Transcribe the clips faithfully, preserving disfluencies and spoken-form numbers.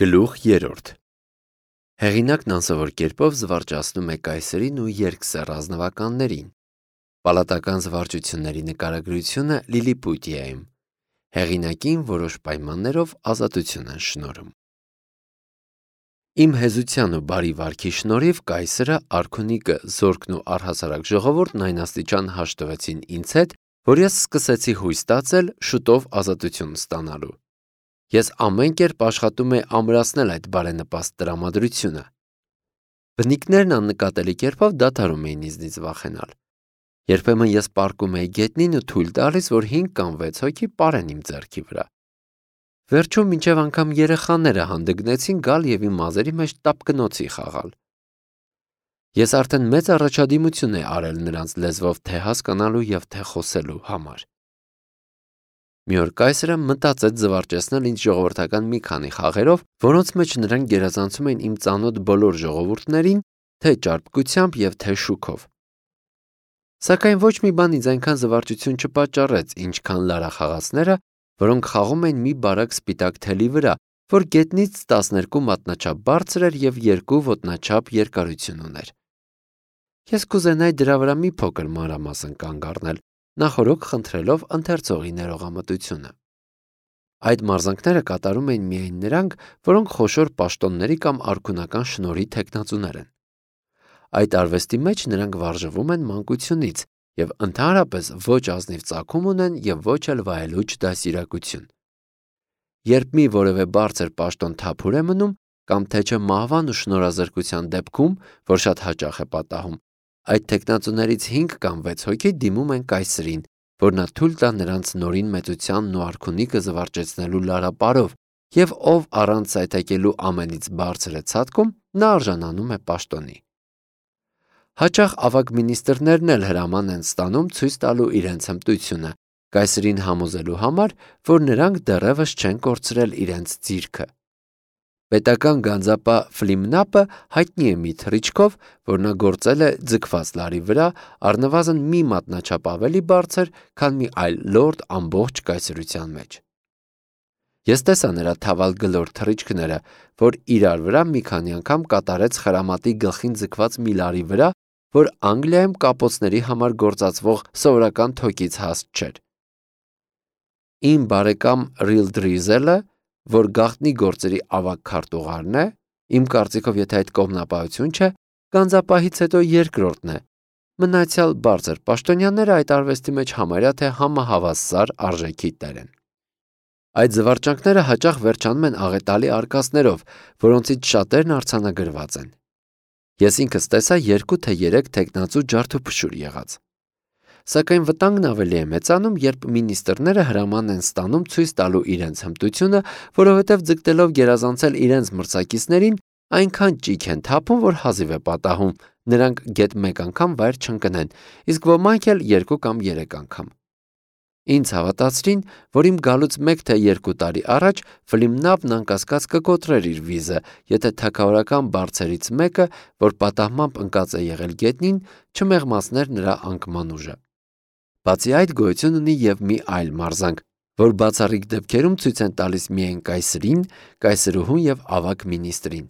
Գլուխ երրորդ Հեղինակն անսովոր կերպով զվարճացնում է կայսերին ու երկսեռ ազնվականներին։ Պալատական զվարճությունների նկարագրությունը Լիլիպուտիայում։ Հեղինակին որոշ պայմաններով ազատություն են շնորհում։ Իմ հեզության ու բարի վարքի շնորհիվ կայսրը, արքունիկը, զորքն ու առհասարակ ժողովուրդն այն աստիճան հաշտվեցին ինձ հետ, որ ես սկսեցի հույս տածել շուտով ազատություն ստանալու։ Ես ամեն կերպ աշխատում էի ամրացնել այդ բարենպաստ տրամադրությունը։ Բնիկներն աննկատելի կերպով դադարում էին ինձնից վախենալ։ Երբեմն ես պառկում էի գետնին ու թույլ տալիս, որ հինգ կամ վեց հոգի պարեն իմ ձեռքի վրա։ Վերջում մինչև անգամ երեխաները հանդգնեցին գալ և իմ մազերի մեջ տապկնոցի խաղալ։ Ես արդեն մեծ առաջադիմություն էի արել նրանց լեզվով թե հասկանալու և թե խոսելու համար։ Մի օր կայսրը մտածեց զվարճեցնել ինձ ժողովրդական մի քանի խաղերով, որոնց մեջ նրանք գերազանցում էին իմ ծանոթ բոլոր ժողովուրդներին, թե ճարպկությամբ և թե շուքով։ Սակայն ոչ մի բան ինձ այնքան զվարճություն չպատճառեց, ինչքան լարախաղացները, որոնք խաղում էին մի բարակ սպիտակ թելի վրա, որ գետնից տասներկու մատնաչափ բարձր էր և երկու ոտնաչափ երկարություն ուներ։ Ես կուզենայի դրա վրա մի փոքր մանրամասն կանգ առնել, նախօրոք խնդրելով ընթերցողի ներողամտությունը։ Այդ մարզանքները կատարում էին միայն նրանք, որոնք խոշոր պաշտոնների կամ արքունական շնորհի թեկնածուներ են։ Այդ արվեստի մեջ նրանք վարժվում են մանկությունից և ընդհանրապես ոչ ազնիվ ծագում ունեն և ոչ էլ վայելուչ դաստիարակություն։ Երբ մի որևէ բարձր պաշտոն թափուր է մնում, կամ թե չէ մահվան ու շնորհազրկության դեպքում, որ շատ հաճախ է պատահում, այդ թեկնածուներից հինգ կամ վեց հոգի դիմում են կայսրին, որ նա թույլ տա նրանց նորին մեծությանն ու արքունիկը զվարճեցնելու լարապարով, և ով առանց սայթաքելու ամենից բարձր է ցատկում, նա արժանանում է պաշտոնի։ Հաճախ ավագ մինիստրներն էլ հրաման են ստանում ցույց տալու իրենց հմտությունը, կայսրին համոզելու համար, որ նրանք դեռևս չեն կորցրել իրենց ձիրքը։ Պետական գանձապահ Ֆլիմնապը հայտնի է մի թռիչքով, որ նա գործել է ձգված լարի վրա, առնվազն մի մատնաչափ ավելի բարձր, քան մի այլ լորդ ամբողջ կայսրության մեջ։ Ես տեսա նրա թավալ գլոր թռիչքները, որ իրար վրա մի քանի անգամ կատարեց խրամատի գլխին ձգված մի լարի վրա, որ Անգլիայում կապոցների համար գործածվող սովորական թոկից հաստ չէր։ Իմ բարեկամ Ռիլդրիզելը, որ գաղտնի գործերի ավագ քարտուղարն է, իմ կարծիքով, եթե այդ կողմնապահություն չէ, գանձապահից հետո երկրորդն է։ Մնացյալ բարձր պաշտոնյաները այդ արվեստի մեջ համարյա թե համահավասար արժեքի տեր են։ Այդ զվարճանքները հաճախ վերջանում են աղետալի արկածներով, որոնցից շատերն արձանագրված են։ Ես ինքս տեսա երկու թե երեք թեկնածու ջարդուփշուր եղած։ Սակայն վտանգն ավելի է մեծանում, երբ մինիստրները հրաման են ստանում ցույց տալու իրենց հմտությունը, որովհետև ձգտելով գերազանցել իրենց մրցակիցներին, այնքան ճիգ են թափում, որ հազիվ է պատահում, նրանք գեթ մեկ անգամ վայր չընկնեն, իսկ ոմանք էլ երկու կամ երեք անգամ։ Ինձ հավատացրին, որ իմ գալուց մեկ թե երկու տարի առաջ Ֆլիմնապն անկասկած կկոտրեր իր վիզը, եթե թագավորական բարձերից մեկը, որ պատահմամբ ընկած է եղել գետնին, չմեղմացներ նրա անկման ուժը։ Բացի այդ, գոյություն ունի և մի այլ մարզանք, որ բացառիկ դեպքերում ցույց են տալիս միայն կայսրին, կայսրուհուն և ավագ մինիստրին։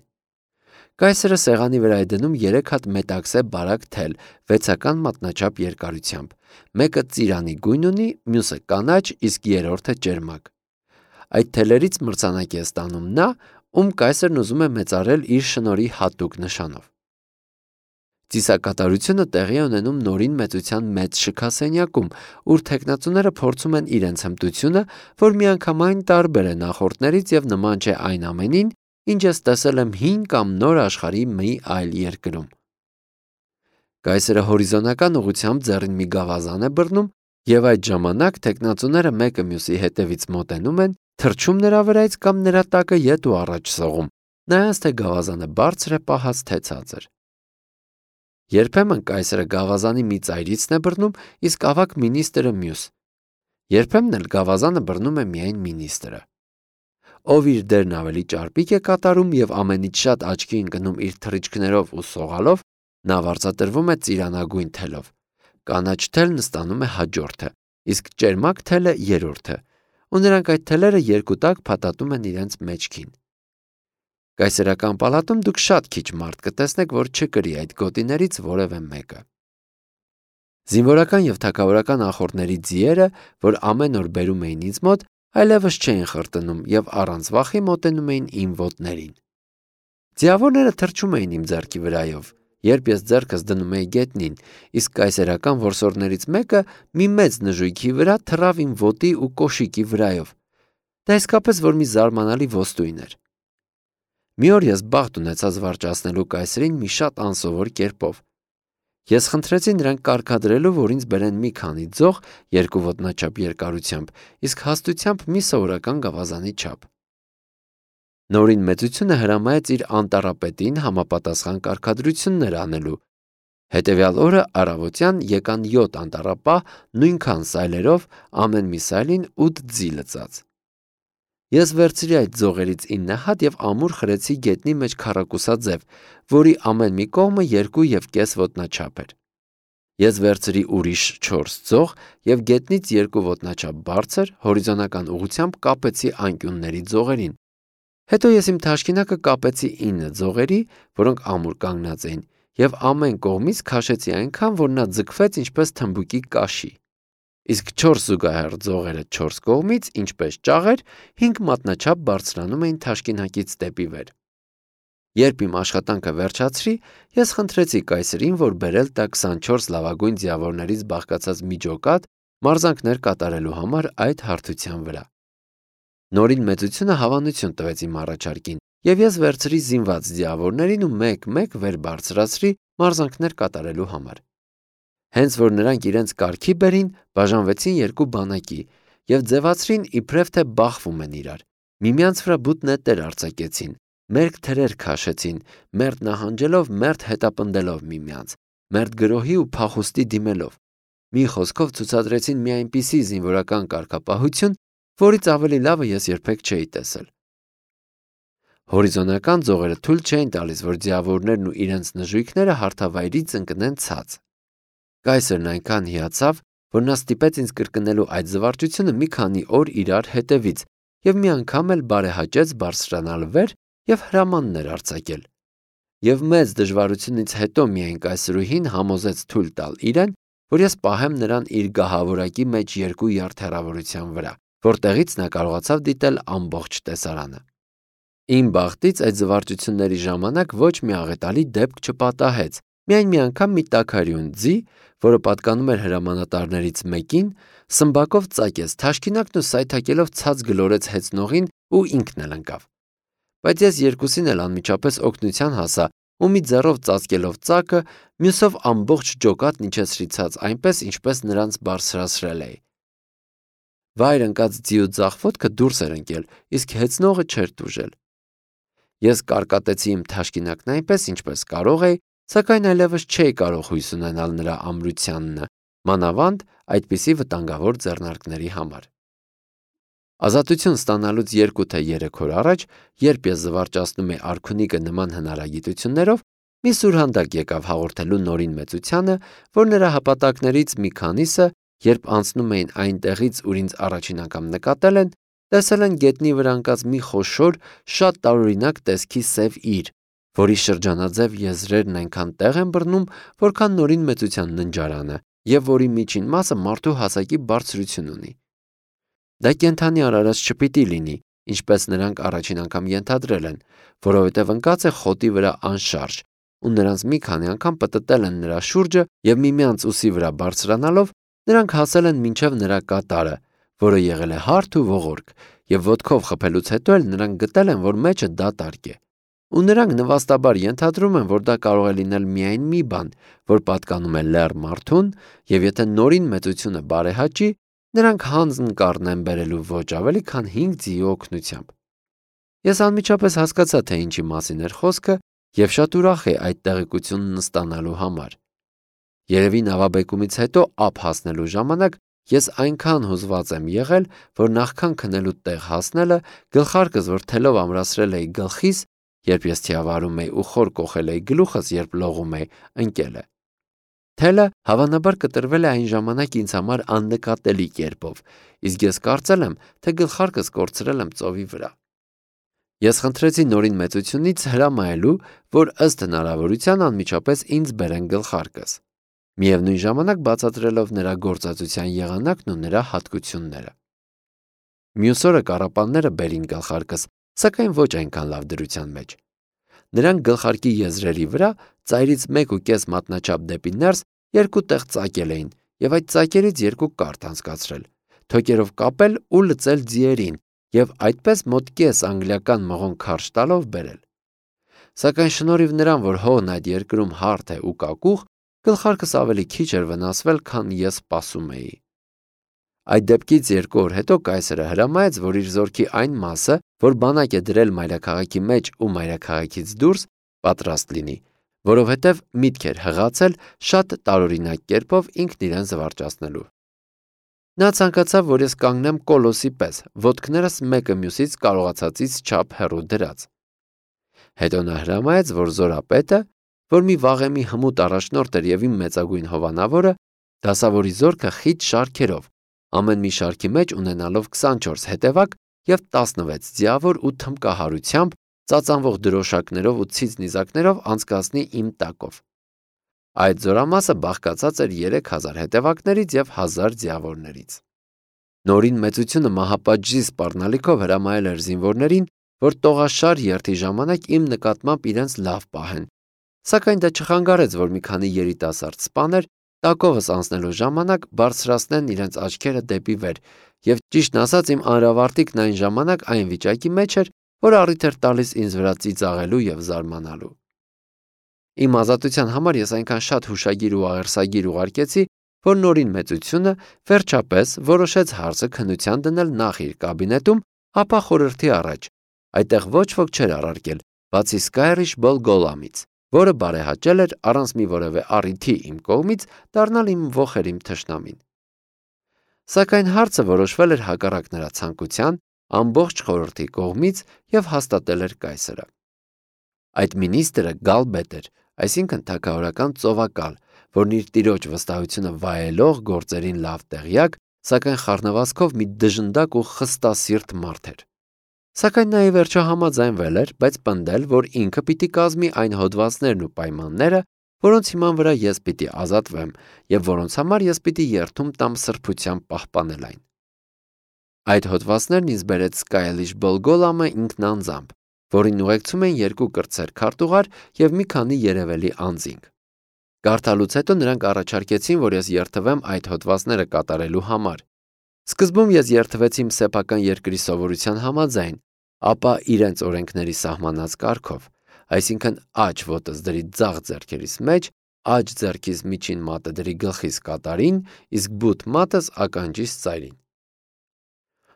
Կայսրը սեղանի վրա է դնում երեք հատ մետաքսե բարակ թել, վեցական մատնաչափ երկարությամբ, մեկը ծիրանի գույն ունի, մյուսը կանաչ, իսկ երրորդը ճերմակ։ Այդ թելերից մրցանակ է ստանում նա, ում կայսրն ուզում է մեծարել իր շնորհի հատուկ նշանով։ Ծիսակատարությունը տեղի է ունենում նորին մեծության մեծ շքասենյակում, ուր թեկնածուները փորձում են իրենց հմտությունը, որ միանգամայն տարբեր է նախորդներից և նման չէ այն ամենին, ինչ ես տեսել եմ հին կամ նոր աշխարհի մի այլ երկրում։ Կայսրը հորիզոնական ուղղությամբ ձեռին մի գավազան է բռնում, և այդ ժամանակ թեկնածուները մեկը մյուսի հետևից մոտենում են, թռչում նրա վրայից կամ նրա տակը ետ ու առաջ սողում, նայած թե գավազանը բարձր է պահած, թե ցածր։ Երբեմն կայսրը գավազանի մի ծայրիցն է բռնում, իսկ ավագ մինիստրը մյուս։ Երբեմն էլ գավազանը բռնում է միայն մինիստրը։ Ով իր դերն ավելի ճարպիկ է կատարում և ամենից շատ աչքի ընկնում իր թռիչքներով ու սողալով, նա վարձատրվում է ծիրանագույն թելով։ Կանաչ թելն ստանում է հաջորդը, իսկ ճերմակ թելը երրորդը, ու նրանք այդ թելերը երկու տակ փաթաթում են իրենց մեջքին։ Կայսերական պալատում դուք շատ քիչ մարդ կտեսնեք, որ չկրի այդ գոտիներից որևէ մեկը։ Զինվորական եւ թագավորական ախորդների ձիերը, որ ամեն օր բերում էին ինձ մոտ, այլևս չէին խրտնում եւ առանց վախի մոտենում էին իմ ոտներին։ Ձիավորները թռչում էին իմ ձեռքի վրայով, երբ ես ձեռքս դնում էի գետնին, իսկ կայսերական որսորդներից մեկը մի մեծ նժույգի վրա թռավ իմ ոտի ու կոշիկի վրայով։ Դա իսկապես որ մի զարմանալի ոստույն էր։ Մի օր ես բախտ ունեցա զվարճացնելու կայսրին մի շատ անսովոր կերպով։ Ես խնդրեցի նրան կարգադրելու, որ ինձ բերեն մի քանի ձող երկու ոտնաչափ երկարությամբ, իսկ հաստությամբ մի սովորական գավազանի չափ։ Նորին մեծությունը հրամայեց իր անտառապետին համապատասխան կարգադրություններ անելու։ Հետևյալ օրը առավոտյան եկան յոթ անտառապահ նույնքան սայլերով, ամեն մի սայլին ութ ձի լծած։ Ես վերցրի այդ ձողերից ինը հատ եւ ամուր խրեցի գետնի մեջ քառակուսաձև, որի ամեն մի կողմը երկու եւ կես ոտնաչափ էր։ Ես վերցրի ուրիշ չորս ձող եւ գետնից երկու ոտնաչափ բարձր հորիզոնական ուղղությամբ կապեցի անկյունների ձողերին։ Հետո ես իմ թաշկինակը կապեցի ինը ձողերի, որոնք ամուր կանգնած էին, եւ ամեն կողմից քաշեցի այնքան, որ նա ձգվեց ինչպես թմբուկի կաշի։ Իսկ չորս զուգահեռ ձողերը չորս կողմից, ինչպես ճաղեր, հինգ մատնաչափ բարձրանում էին թաշկինակից դեպի վեր։ Երբ իմ աշխատանքը վերջացրի, ես խնդրեցի կայսրին, որ բերել տա քսանչորս լավագույն ձիավորներից բաղկացած մի ջոկատ մարզանքներ կատարելու համար այդ հարթության վրա։ Նորին մեծությունը հավանություն տվեց իմ առաջարկին, եւ ես վերցրի զինված ձիավորներին ու մեկ-մեկ վեր բարձրացրի մարզանքներ կատարելու համար։ Հենց որ նրանք իրենց կարգի բերին, բաժանվեցին երկու բանակի եւ ձևացրին իբրև թե բախվում են իրար։ Միմյանց վրա բութ նետեր արձակեցին, մերկ թրեր քաշեցին, մերթ նահանջելով, մերթ հետապնդելով միմյանց, մերթ գրոհի ու փախուստի դիմելով։ Մի խոսքով ցուցադրեցին մի այնպիսի զինվորական կարգապահություն, որից ավելի լավը ես երբեք չէի տեսել։ Հորիզոնական ձողերը թույլ չէին տալիս, որ ձիավորներն ու իրենց նժույգները հարթավայրից ընկնեն ցած։ Կայսրն այնքան հիացավ, որ նա ստիպեց ինձ կրկնելու այդ զվարճությունը մի քանի օր իրար հետևից եւ մի անգամ էլ բարեհաճեց բարձրանալ վեր եւ հրամաններ արձակել։ Եվ մեծ դժվարությունից հետո միայն կայսրուհին համոզեց թույլ տալ իրեն, որ ես պահեմ նրան իր գահավորակի մեջ երկու յարդ հեռավորության վրա, որտեղից նա կարողացավ դիտել ամբողջ տեսարանը։ Իմ բախտից այդ զվարճությունների ժամանակ ոչ մի աղետալի դեպք չպատահեց, միայն մի անգամ մի տաքարյուն ձի, որը պատկանում էր հրամանատարներից մեկին, սմբակով ծակեց թաշկինակն ու սայթաքելով ցած գլորեց հեծնողին ու ինքն էլ ընկավ։ Բայց ես երկուսին էլ անմիջապես օգնության հասա ու մի ձեռով ծածկելով ծակը, մյուսով ամբողջ ջոկատն իջեցրի ցած այնպես, ինչպես նրանց բարձրացրել էի։ Վայր ընկած ձիու ձախ ոտքը դուրս էր ընկել, իսկ հեծնողը չէր տուժել։ Ես կարկատեցի իմ թաշկինակն այնպես, ինչպես կարող էի, սակայն այլևս չէի կարող հույս ունենալ նրա ամրությանն, մանավանդ այդպիսի վտանգավոր ձեռնարկների համար։ Ազատություն ստանալուց երկու թե երեք օր առաջ, երբ ես զվարճացնում էի արքունիկը նման հնարագիտություններով, մի սուրհանդակ եկավ հաղորդելու Նորին մեծությանը, որ նրա հապատակներից մի քանիսը, երբ անցնում էին այն տեղից, ուր ինձ առաջին անգամ նկատել են, տեսել են գետնի վրա ընկած մի խոշոր, շատ տարօրինակ տեսքի սև իր, որի շրջանաձև եզրերն այնքան տեղ են բռնում, որքան Նորին մեծության ննջարանը, եւ որի միջին մասը մարդու հասակի բարձրություն ունի։ Դա կենդանի արարած չպիտի լինի, ինչպես նրանք առաջին անգամ ենթադրել են, որովհետև ընկած է խոտի վրա անշարժ, ու նրանց մի քանի անգամ պտտել են նրա շուրջը եւ միմյանց ուսի վրա բարձրանալով նրանք հասել են մինչև նրա կատարը, որը եղել է հարթ ու ողորկ, եւ ոտքով խփելուց հետո էլ նրանք գտել են, որ մեջը դատարկ է։ Ու նրանք նվաստաբար ենթադրում են, որ դա կարող է լինել միայն մի բան, որ պատկանում է լեռ մարդուն, եւ եթե Նորին մեծությունը բարեհաճի, նրանք հանձն կառնեն բերելու ոչ ավելի քան հինգ ձիու օգնությամբ։ Ես անմիջապես հասկացա, թե ինչի մասին էր խոսքը, եւ շատ ուրախ էի այդ տեղեկությունն ստանալու համար։ Երևի նավաբեկումից հետո ափ հասնելու ժամանակ ես այնքան հուզված եմ եղել, որ նախքան քնելու տեղ հասնելը գլխարկս որ թելով ամրացրել էի գլխիս, երբ ես թիավարում էի ու խոր կոխել էի գլուխս, երբ լողում էի, ընկել է։ Թելը հավանաբար կտրվել է այն ժամանակ ինձ համար աննկատելի կերպով, իսկ ես կարծել եմ, թե գլխարկս կորցրել եմ ծովի վրա։ Ես խնդրեցի Նորին մեծությունից հրամայելու, որ ըստ հնարավորության անմիջապես ինձ բերեն գլխարկս, միևնույն ժամանակ բացատրելով նրա գործածության եղանակն ու նրա հատկությունները։ Մյուս օրը կառապանները բերին գլխարկս, սակայն ոչ այնքան լավ դրության մեջ։ Նրանք գլխարկի եզրերի վրա ծայրից մեկ ու կես մատնաչափ դեպի ներս երկու տեղ ծակել էին եւ այդ ծակերից երկու կարթ անցկացրել, թոկերով կապել ու լծել ձիերին եւ այդպես մոտ կես անգլիական մղոն քարշ տալով բերել։ Սակայն շնորհիվ նրան, որ հողն այդ երկրում հարթ է ու կակուղ, գլխարկս ավելի քիչ էր վնասվել, քան ես սպասում էի։ Այդ դեպքից երկու օր հետո կայսրը հրամայեց, որ իր զորքի այն մասը, որ բանակ է դրել մայրաքաղաքի մեջ ու մայրաքաղաքից դուրս, պատրաստ լինի, որովհետև միտք էր հղացել շատ տարօրինակ կերպով ինքն իրեն զվարճացնելու։ Նա ցանկացավ, որ ես կանգնեմ կոլոսի պես, ոտքներս մեկը մյուսից կարողացածից չափ հեռու դրած։ Հետո նա հրամայեց, որ զորապետը, որ մի վաղեմի հմուտ առաջնորդ էր եւ իմ մեծագույն հովանավորը, դասավորի զորքը խիտ շարքերով, ամեն մի շարքի մեջ ունենալով քսանչորս հետևակ եւ տասնվեց ձիավոր ու թմկահարությամբ, ծածանվող դրոշակներով ու ցից նիզակներով անցկացնի իմ տակով։ Այդ զորամասը բաղկացած էր երեք հազար հետևակներից եւ հազար ձիավորներից։ Նորին մեծությունը մահապատժի սպառնալիքով հրամայել էր զինվորներին, որ տողաշար երթի ժամանակ իմ նկատմամբ իրենց լավ պահեն, սակայն դա չխանգարեց, որ մի քանի երիտասարդ սպաներ տակովս անցնելու ժամանակ բարձրացնեն իրենց աչքերը դեպի վեր, եւ ճիշտն ասած իմ անրավարտիկն այն ժամանակ այն վիճակի մեջ էր, որ առիթ էր տալիս ինձ վրա ծիծաղելու եւ զարմանալու։ Իմ ազատության համար ես այնքան շատ հուշագիր ու աղերսագիր ուղարկեցի, որ Նորին մեծությունը վերջապես որոշեց հարցը քննության դնել նախ իր կաբինետում, ապա խորհրդի առաջ։ Այդտեղ ոչ ոք չէր առարկել, բացի Սկայրիշ Բոլգոլամից, որը բարեհաճել էր առանց մի որևէ առիթի իմ կողմից դառնալ իմ ոխերիմ թշնամին։ Սակայն հարցը որոշվել էր հակառակ նրա ցանկության, ամբողջ խորհրդի կողմից եւ հաստատել էր կայսրը։ Այդ մինիստրը Գալբետ էր, այսինքն թագավորական ծովակալ, որն իր տիրոջ վստահությունը վայելող գործերին լավ տեղյակ, սակայն խառնվածքով մի դժնդակ ու խստասիրտ մարդ էր։ Սակայն նա ի վերջո համաձայնվել էր, բայց պնդել, որ ինքը պիտի կազմի այն հոդվածներն ու պայմանները, որոնց հիման վրա ես պիտի ազատվեմ եւ որոնց համար ես պիտի երթում տամ սրբությամբ պահպանել այն։ Այդ հոդվածներն ինձ բերեց Սկայլիշ Բոլգոլամը ինքն անձամբ, որին ուղեկցում էին երկու կրտսեր քարտուղար եւ մի քանի երևելի անձինք։ Կարդալուց հետո նրանք առաջարկեցին, որ ես երթվեմ այդ հոդվածները կատարելու համար։ Սկզբում ես երթվեցի իմ սեփական երկրի սովորության համաձայն, ապա իրենց օրենքների սահմանած կարգով, այսինքն աջ ոտս դրի ձախ ձեռքերիս մեջ, աջ ձեռքիս միջին մատը դրի գլխիս կատարին, իսկ բութ մատս ականջիս ծայրին։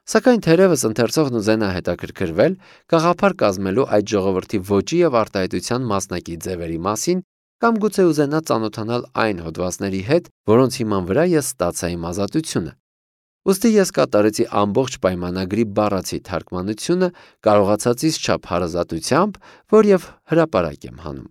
Սակայն թերևս ընթերցողն ուզենա հետաքրքրվել գաղափար կազմելու այդ ժողովրդի ոճի եւ արտահայտության մասնակի ձևերի մասին, կամ գուցե ուզենա ծանոթանալ այն հոդվածների հետ, որոնց հիման վրա ես ստացա իմ ազատությունը։ Ուստի ես կատարեցի ամբողջ պայմանագրի բառացի թարգմանությունը կարողացածից չափ հարազատությամբ, որ եւ հրապարակ եմ հանում։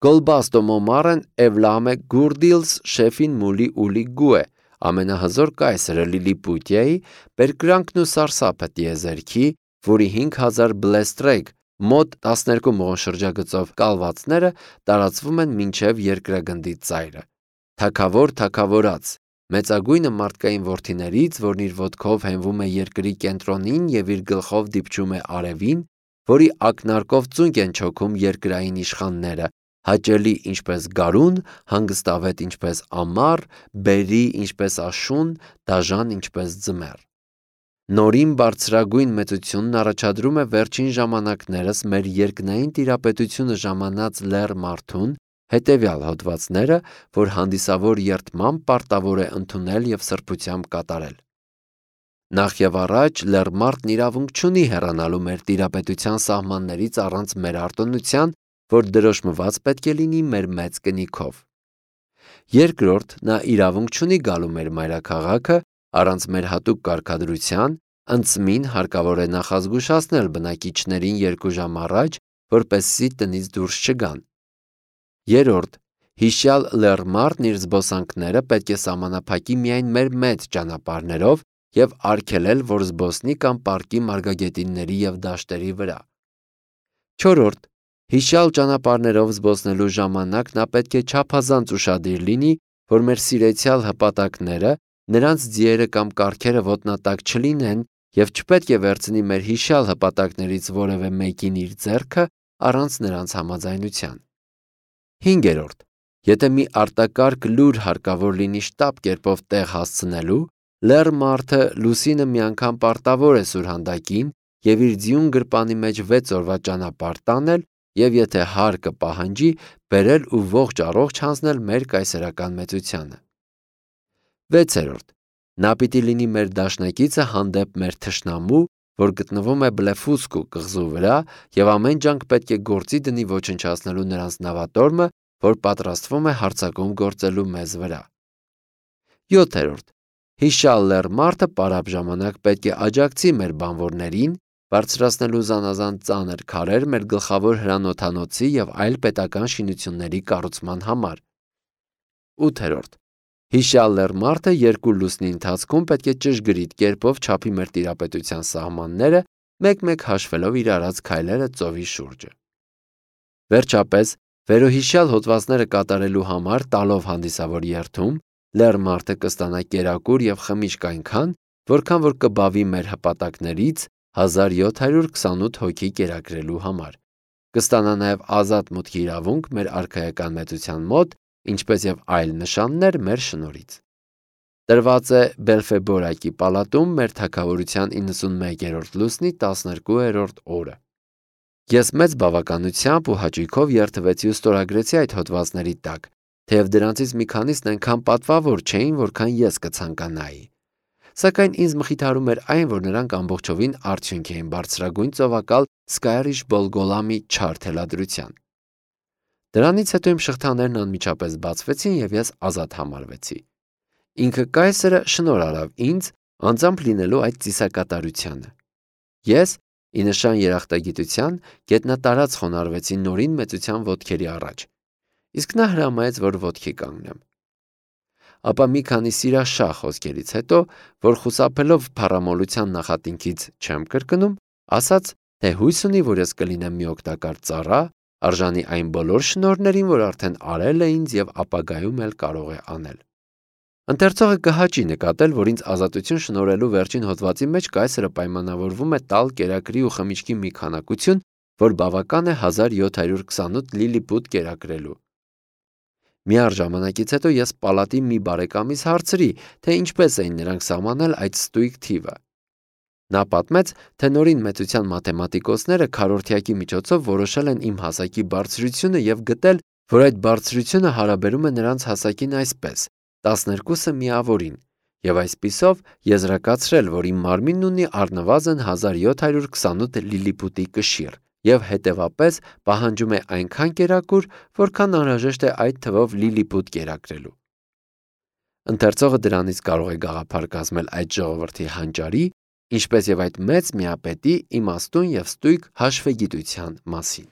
Գոլբաստո մոմարեն Էվլամե Գուրդիլս շեֆին մուլի ուլի գուե, ամենահզոր կայսրը Լիլիպուտիայի, Պերկրանքն ու Սարսափը տիեզերքի, որի հինգ հազար բլեստրեգ մոտ տասներկու մղոն շրջագծով կալվածները տարածվում են մինչև երկրագնդի ծայրը։ Թագավոր թագավորած, մեծագույնը մարդկային որդիներից, որն իր ոտքով հենվում է երկրի կենտրոնին եւ իր գլխով դիպչում է արևին, որի ակնարկով ծունկ են չոքում երկրային իշխանները, հաճելի ինչպես գարուն, հանգստավետ ինչպես ամառ, բերի ինչպես աշուն, դաժան ինչպես ձմեռ։ Նորին բարձրագույն մեծությունն առաջադրում է վերջին ժամանակներս մեր երկնային տիրապետությունը ժամանած լեռ մարդուն հետևյալ հոդվածները, որ հանդիսավոր երդմամբ պարտավոր է ընդունել եւ սրբությամբ կատարել։ Նախ եւ առաջ լեռ մարդն իրավունք չունի հեռանալու մեր տիրապետության սահմաններից առանց մեր արտոնության, որ դրոշմված պետք է լինի մեր մեծ կնիքով։ Երկրորդ, նա իրավունք չունի գալու մեր մայրաքաղաքը առանց մեր հատուկ կարգադրության, ընծմին հարկավոր է նախազգուշացնել բնակիչներին երկու ժամ առաջ, որպեսզի տնից դուրս չգան։ Երրորդ, հիշյալ լեռ մարդն իր զբոսանքները պետք է սահմանափակի միայն մեր մեծ ճանապարհներով, և արգելել, որ զբոսնի կամ պառկի մարգագետինների և դաշտերի վրա։ Չորրորդ. Հիշյալ ճանապարհներով զբոսնելու ժամանակ նա պետք է չափազանց ուշադիր լինի, որ մեր սիրեցյալ հպատակները, նրանց ձիերը կամ կառքերը ոտնատակ չլինեն և չպետք է վերցնի մեր հիշյալ հպատակներից որևէ մեկին իր ձեռքը առանց նրանց համաձայնության։ Հինգերորդ. Եթե մի արտակարգ լուր հարկավոր լինի շտապ կերպով տեղ հասցնելու, լեռ մարդը լուսինը մի անգամ պարտավոր է սուրհանդակին և իր ձիուն գրպանի մեջ վեց օրվա ճանապարհ տանել և եթե հարկը պահանջի, բերել ու ողջ առողջ հանձնել մեր կայսերական մեծությանը։ Վեցերորդ. Նա պիտի լինի մեր դաշնակիցը հանդեպ մեր թշնամու, որ գտնվում է Բլեֆուսկու կղզու վրա և ամեն ջանք պետք է գործի դնի ոչնչացնելու նրանց նավատորմը, որ պատրաստվում է հարձակում գործելու մեզ վրա։ Յոթերորդ. Հիշյալ լեռ մարդը պարապ ժամանակ պետք է աջակցի մեր բանվորներին, բարձրացնելու զանազան ծանր քարեր մեր գլխավոր հրանոթանոցի և այլ պետական շինությունների կառուցման համար։ Ութերորդ. Հիշյալ լեռ մարդը երկու լուսնի ընթացքում պետք է ճշգրիտ կերպով չափի մեր տիրապետության սահմանները, մեկ-մեկ հաշվելով իր արած քայլերը ծովի շուրջը։ Վերջապես, վերոհիշյալ հոդվածները կատարելու համար տալով հանդիսավոր երթում, լեռ մարդը կստանա կերակուր և խմիչք այնքան, որքան որ կբավի մեր հպատակներից հազար յոթ հարյուր քսանութ հոգի կերակրելու համար։ Կստանա նաև ազատ մուտքի իրավունք մեր արքայական մեծության մոտ, ինչպես և այլ նշաններ մեր շնորհից։ Տրված է Բելֆեբորակի պալատում մեր թագավորության իննսունմեկերորդ լուսնի տասներկուերորդ օրը։ Ես մեծ բավականությամբ ու հաճույքով երդվեցի ու ստորագրեցի այդ հոդվածների տակ, թեև դրանցից մի քանիսն այնքան պատվավոր չէին, որքան ես կցանկանայի։ Սակայն ինձ մխիթարում էր այն, որ նրանք ամբողջովին արդյունք էին բարձրագույն ծովակալ Սկայրիշ Բոլգոլամի չար թելադրության։ Դրանից հետո իմ շղթաներն անմիջապես բացվեցին և ես ազատ համարվեցի։ Ինքը կայսրը շնորհ արավ ինձ անձամբ լինելու այդ ծիսակատարությանը։ Ես, ի նշան երախտագիտության, գետնատարած խոնարհվեցի նորին մեծության ոտքերի առաջ, իսկ նա հրամայեց, որ ոտքի կանգնեմ։ Ապա մի քանի սիրաշահ խոսքերից հետո, որ խուսափելով փառամոլության նախատինքից չեմ կրկնում, ասաց, թե հույս ունի, որ ես կլինեմ մի օգտակար ծառա, արժանի այն բոլոր շնորհներին, որ արդեն արել է ինձ և ապագայում էլ կարող է անել։ Ընթերցողը կհաճի նկատել, որ ինձ ազատություն շնորհելու վերջին հոդվածի մեջ կայսրը պայմանավորվում է տալ կերակրի ու խմիչքի մի քանակություն, որ բավական է հազար յոթ հարյուր քսանութ լիլիպուտ կերակրելու։ Միառ ժամանակից հետո ես պալատի մի բարեկամից հարցրի, թե ինչպես էին նրանք սահմանել այդ ստույգ թիվը։ Նա պատմեց, թե նորին մեծության մաթեմատիկոսները քառորդյակի միջոցով որոշել են իմ հասակի բարձրությունը և գտել, որ այդ բարձրությունը հարաբերում է նրանց հասակին այսպես. տասներկուսը միավորին, և այսպիսով եզրակացրել, որ իմ մարմինն ունի առնվազն հազար յոթ հարյուր քսանութ լիլիպուտի կշիռ և հետևապես պահանջում է այնքան կերակուր, որքան անհրաժեշտ է այդ թվով լիլիպուտ կերակրելու։ Ընթերցողը դրանից կարող է գաղափար կազմել այդ ժողովրդի հանճարի, ինչպես և այդ մեծ միապետի իմաստուն և ստույգ հաշվեգիտության մասին։